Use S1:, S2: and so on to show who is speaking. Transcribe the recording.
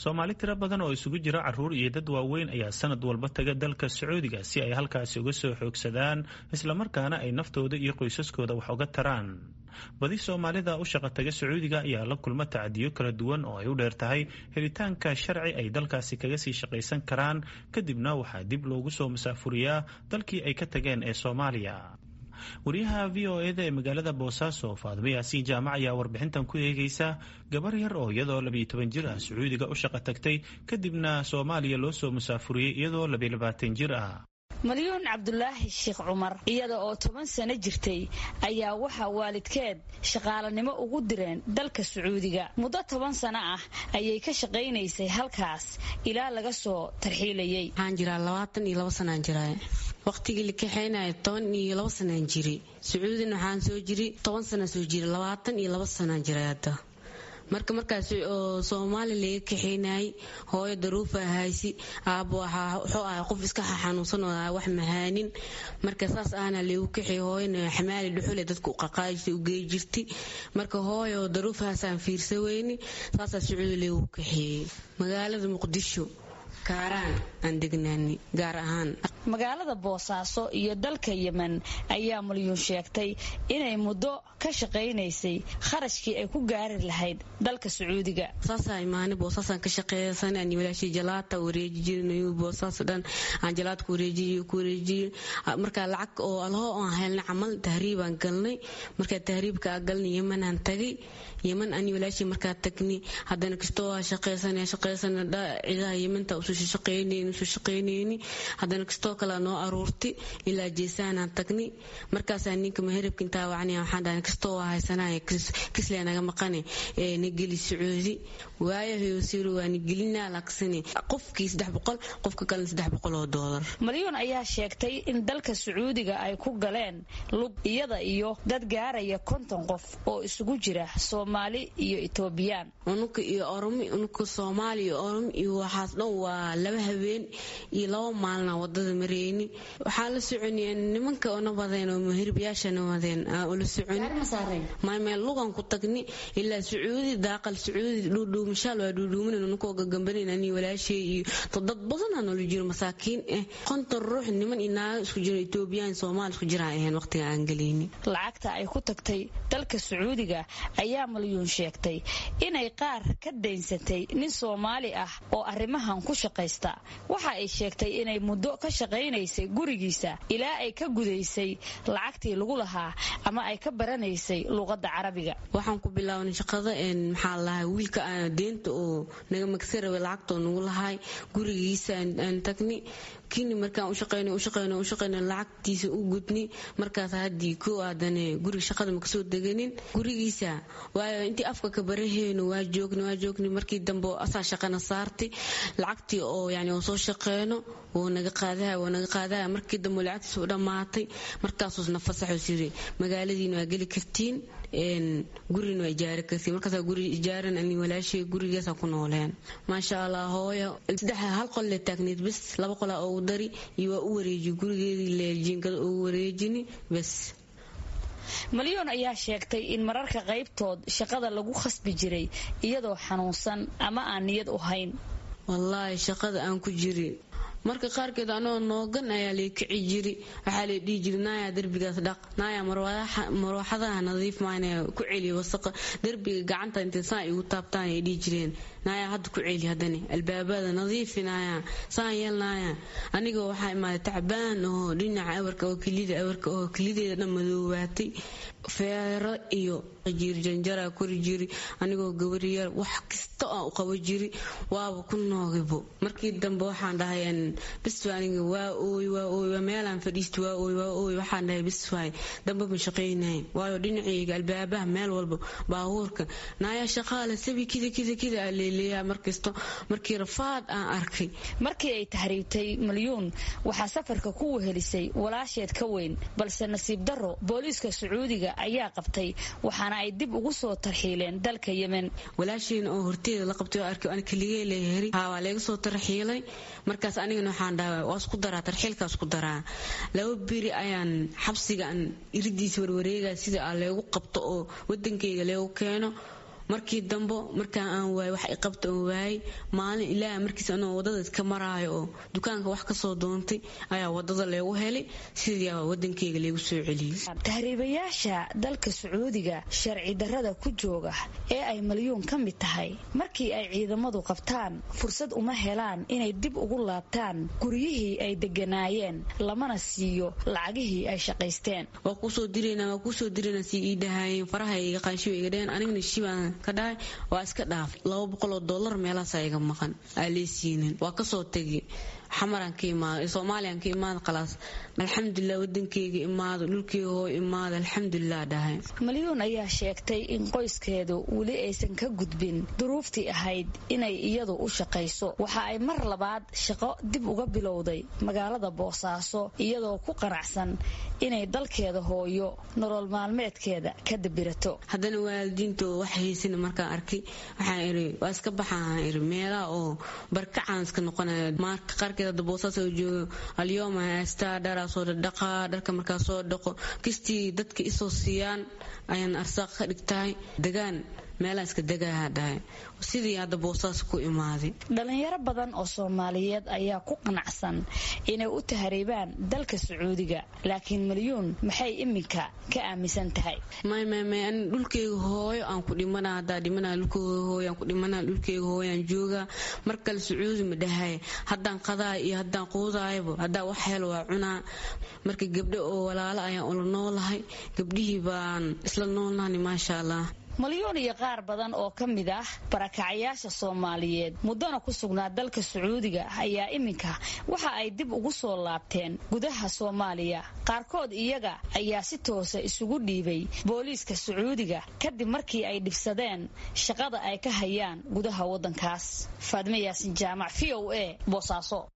S1: Soomaali tiro badan oo isugu jira caruur iyo dad waaweyn ayaa sanad walba taga dalka Sacuudiga si ay halkaasi uga soo xoogsadaan, islamarkaana ay naftooda iyo qoysaskooda wax uga taraan. Badi Soomaalida u shaqa taga Sacuudiga ayaa la kulma tacadiyo kala duwan oo ay u dheer tahay helitaanka sharci ay dalkaasi kaga sii shaqaysan karaan, kadibna waxaa dib loogu soo masaafuriyaa dalkii ay ka tageen ee Soomaaliya. Wariyaha VOA-da ee magaalada Boosaaso, Faadimo Yaasiin Jaamac, ayaa warbixintan ku eegeysa gabar yar oo iyadoo 12 jir ah Sacuudiga u shaqo tagtay, kadibna Soomaaliya loo soo musaafuriyey iyadoo 22 jir ah.
S2: Malyuun Cabdulaahi Sheekh Cumar, iyada oo 10 sano jirtay, ayaa waxaa waalidkeed shaqaalanimo ugu direen dalka Sacuudiga. Muddo 10 sano ah ayay ka shaqaynaysay halkaas ilaa laga soo tarxiilayay.
S3: Waxaan jiraa 22 sanaan jiraa. Waqtigii la kaxaynaya 12 sanaan jiray. Sacuudina waxaan soo jiray 10 sana soo jiray, 22 sanaan jiray hadda. Marka markaas oo Soomaali laga kaxeynayay, hooyo daruufa haysi, aabbo wuxuu ahaa qof iska xanuunsan oo wax mahaanin. Marka saas ahna lagu kaxeey, hooyana xamaali dhuxule dadka u qaqaajisay u geey jirtay. Marka hooyo daruufahaasaan fiirsa weyni, saasaa Sacuudi lagu kaxeeyey. Magaalada Muqdisho Kaaraan aan degnaani gaar ahaan.
S2: Magaalada Boosaaso iyo dalka Yemen ayaa Malyuun sheegtay inay muddo ka shaqaynaysay kharashkii ay ku gaari lahayd dalka Sacuudiga.
S3: Saasaa imaanay, Boosaasaan ka shaqeeysan ani walaashii, jalaata wareeji jirnay Boosaas dhan aan jalaad ku wareejiyo ku wareejiyo. Marka lacag oo alho aan helnay camal tahriibaan galnay. Marka tahriibka aan galnay, Yemen aan tagay. Yemen ani walaashii markaa tagnay, haddana kastoo waa shaqeysanay shaqeysanay, ciidaha Yementa usoo shaqeynayni usoo shaqeynayni, haddana kastoo kale noo aruurtay ilaa Jeesaanaan tagnay. Markaasaa ninka maheribka intaa wacnaya waxaan dhahay, kastoo waa haysanaya, kislee naga maqane ee nageli Sacuudi. Waayahayo siiri waa nagelinaa laaksane qofkii 300, qofka kalena $300.
S2: Malyuun ayaa sheegtay in dalka Sacuudiga ay ku galeen lug, iyada iyo dad gaaraya 50 qof oo isugu jira Soomaali iyo Itoobiyaan.
S3: Unuka iyo Oromi, unuka Soomaali iyo Oromi iyo waxaas dhan waa 2 habeen iyo 2 maalina wadada mareyni. Waxaan la soconay nimanka ona wadeen oo muhirbiyaashana wadeen aan ula soconi maymeel lugan ku tagni ilaa Sacuudi daaqal Sacuudi dhuudhuumashaal waa dhuudhuumanan unukoo gagambanan ani walaashay iyo dad badan aan ula jiro masaakiin ah, 50 ruux, niman iyo naago isku jiro, Itoobiyaan Soomaali isku jiraan ahayn waqtiga aan gelayni.
S2: Lacagta ay ku tagtay dalka Sacuudiga ayaa Malyuun sheegtay inay qaar ka daynsatay nin Soomaali ah oo arrimahan ku shaqaysta. Waxa ay sheegtay inay muddo ka shaqaynaysay gurigiisa ilaa ay ka gudaysay lacagtii lagu lahaa ama ay ka baranaysay luuqadda Carabiga.
S3: Waxaan ku bilownay shaqada, maxaa lahay, wiilka deenta oo naga magsa rabay lacagtoo nagu lahay gurigiisa aan tagni kini. Markaan u shaqeyno u shaqeyno u shaqeyno, lacagtiisa u gudni. Markaas haddii koo aadane guriga shaqada ma kasoo deganin gurigiisa, waayo intii afka ka baraheyno waa joogni waa joogni. Markii dambe asaa shaqana saartay, lacagtii oo yani oo soo shaqeyno wuu naga qaadaya wuu naga qaadaya. Markii dambe lacagtiisa u dhammaatay, markaasuus na fasaxo siri, magaaladiina waa geli kartiin, gurina waa ijaari kartiin. Markaasaa guri ijaaran ani walaashay, gurigaasa ku nooleen maasha Allah. Hooyo saddex hal qol le taagneed bes, 2 qolaa ugu dari iyo waa u wareejiy gurigeedii le jiinkada ugu wareejini bes.
S2: Malyuun ayaa sheegtay in mararka qaybtood shaqada lagu khasbi jiray iyadoo xanuunsan ama aan niyad u hayn.
S3: Wallaahi shaqada aan ku jiri, marka qaarkeed anoo noogan ayaa lay kici jiri. Waxaa lay dhihi jiri, naayaa derbigaas dhaq, naayaa marwaxadaha nadiif maana ku celiya wasaqa derbiga, gacanta intay saan igu taabtaan ay dhihi jireen, naayaa hadda ku celi, haddani albaabada nadiifi, naayaa saan yeel naayaa. Aniga waxaa imaaday tacbaan oo dhinaca awarka oo kelida awarka oo kelideeda dhan madoobaatay, feero iyo jiri janjaraa kori jiri anigoo gabariyar, wax kasta aan u qabo jiri waaba ku noogibo. Markii dambe waxaan dhahay bis, aniga waa ooy waa ooy, waa meelaan fadhiisto, waa ooy waa ooy. Waxaan dhahay bis waay, dambe ma shaqaynay, waayo dhinacayga albaabaha meel walba baabuurka naayaa shaqaale sabi kida kida kida aa leeleeyaa markasto markii rafaad aan arkay.
S2: Markii ay tahriibtay Malyuun waxaa safarka ku wehelisay walaasheed ka weyn, balse nasiib darro booliiska Sacuudiga ayaa qabtay, waxaana ay dib ugu soo tarxiileen dalka Yemen.
S3: Walaasheena oo horteeda la qabtay oo arkay aan keligee leeheri haa waa laga soo tarxiilay. Markaas anigana waxaan dhahay waa isku daraa tarxiilkaa, isku daraa. 2 beri ayaan xabsiga aan iridiisa warwareegaya sida aan leegu qabto oo wadankayga leegu keeno. Markii dambo markaa aan waayay wax iqabta oon waayay, maalin ilaaha markiis anoo wadada iska maraayo oo dukaanka wax kasoo doontay ayaa wadada leegu helay, sidii wadankeyga leegu soo celiyey.
S2: Tahriibayaasha dalka Sacuudiga sharci darrada ku jooga ee ay Malyuun ka mid tahay, markii ay ciidamadu qabtaan fursad uma helaan inay dib ugu laabtaan guryihii ay deganaayeen, lamana siiyo lacagihii ay shaqaysteen.
S3: Waa kuusoo diraynaa, waa kuusoo diraynaa sii ii dhahaayeen, faraha iga qaanshiba iga dhaheen, anigana shibaan ka dhahay, waa iska dhaaf. $200 meelahaasaa iga maqan aa lee siinin. Waa kasoo tegay, xamaraan ka imaado, Soomaaliyaan ka imaado, khalaas alxamdulilah wadankeyga imaado, dhulkeyga hoo imaado, alxamdulilah dhahay.
S2: Malyuun ayaa sheegtay in qoyskeedu weli aysan ka gudbin duruuftii ahayd inay iyadu u shaqayso. Waxa ay mar labaad shaqo dib uga bilowday magaalada Boosaaso, iyadoo ku qanacsan inay dalkeeda hooyo nolol maalmeedkeeda ka dabirato.
S3: Haddana waalidiintoo wax haysana markaan arkay, waxaan iri waa iska baxaan, iri meelaha oo barkacaan iska noqonaya. Marka qaarkeed hadda Boosaas oo joogo alyooma haystaa, dharaa soo dhaqaa, dharka markaa soo dhaqo kistii dadka isoo siiyaan ayaan arsaaq ka dhigtahay, degaan meelaha iska degaha dhahay, sidii hadda Boosaas ku imaaday.
S2: Dhalinyaro badan oo Soomaaliyeed ayaa ku qanacsan inay u tahriibaan dalka Sacuudiga, laakiin Malyuun maxay iminka ka aaminsan tahay?
S3: May may may, ani dhulkeyga hooyo aan ku dhimana, haddaa dhimana dhulkeyga hooyo aan ku dhimana, dhulkeyga hooyo aan joogaa. Mar kale Sacuudi ma dhahay, haddaan qadaay iyo haddaan quudaayaba, haddaa wax helo waa cunaa. Marka gabdho oo walaalo ayaan ula noolahay, gabdhihii baan isla noolnahani, maasha Allah.
S2: Malyuun iyo qaar badan oo ka mid ah barakacyaasha Soomaaliyeed muddana ku sugnaa dalka Sacuudiga ayaa iminka waxa ay dib ugu soo laabteen gudaha Soomaaliya. Qaarkood iyaga ayaa si toosa isugu dhiibay booliiska Sacuudiga kadib markii ay dhibsadeen shaqada ay ka hayaan gudaha waddankaas. Faadme Yaasin Jaamac, v o a, Boosaaso.